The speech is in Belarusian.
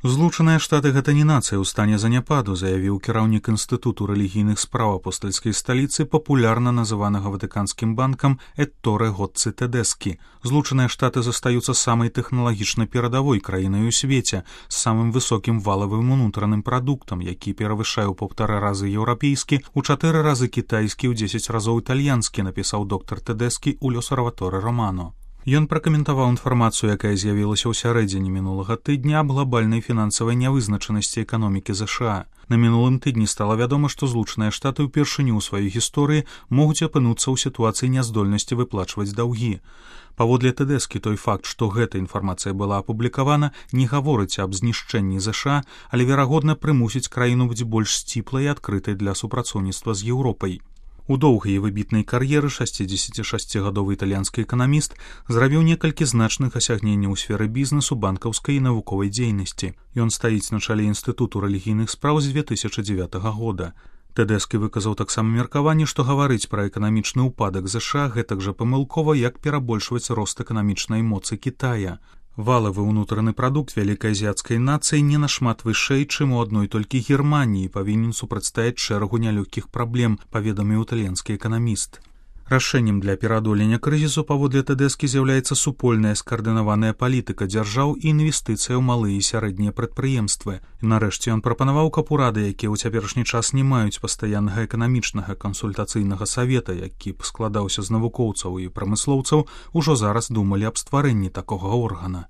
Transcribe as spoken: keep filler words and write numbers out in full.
Злучаныя Штаты гэта не нацыя ў стане заняпаду, заявіў кіраўнік інстытуту рэлігійных спраў апостальскай сталіцы, папулярна называнага ватыканскім банкам Этторе Гоцци Тэдэскі. Злучаныя Штаты застаюцца самай тэхналагічна перадавой краінай у свеце з самым высокім валавым унутраным прадуктам, які перавышае ў паўтара разы еўрапейскі, у чатыры разы кітайскі, у дзесяць разоў італьянскі, напісаў доктар Тэдэскі ў L'Osservatore Romano. Ён пракаментаваў інфармацыю, якая з'явілася ў сярэдзіне мінулага тыдня аб глобальнай фінансавай нявызначанасці эканомікі ЗША. На мінулым тыдні стала вядома, што Злучаныя Штаты ўпершыню ў сваёй гісторыі могуць апынуцца ў сітуацыі няздольнасці выплачваць даўгі. Паводле Тэдэскі, той факт, што гэта інфармацыя была апублікавана, не гаворыць аб знішчэнні ЗША, але, верагодна, прымусіць краіну быць больш сціплай і адкрытай для супрацоўніцтва з Еўропай. У доўгай і выбітнай кар'еры шасцідзесяцішасцігадовы італьянскі эканаміст зрабіў некалькі значных асягненняў у сферы бізнесу, банкаўскай і навуковай дзейнасці. Ён стаіць на чале інстытуту рэлігійных спраў з дзве тысячы дзевятага года. Тэдэскі выказаў таксама меркаванне, што гаварыць пра эканамічны ўпадак ЗША гэтак жа памылкова, як перабольшваць рост эканамічнай моцы Кітая. Валавы ўнутраны прадукт вялікай азіяцкай нацыі не нашмат вышэй, чым у адной толькі Германіі, павінен супрацьстаяць шэрагу нялёгкіх праблем, паведаміў італьянскі эканаміст. Рашэннем для пераадолення крызісу, паводле Тэдэскі, з'яўляецца супольная скаардынаваная палітыка дзяржаў і інвестыцыя ў малыя і сярэднія прадпрыемствы. І нарэшце ён прапанаваў, каб урады, якія ў цяперашні час не маюць пастаяннага эканамічнага кансультацыйнага савета, які б складаўся з навукоўцаў і прамыслоўцаў, ужо зараз думалі аб стварэнні такога органа.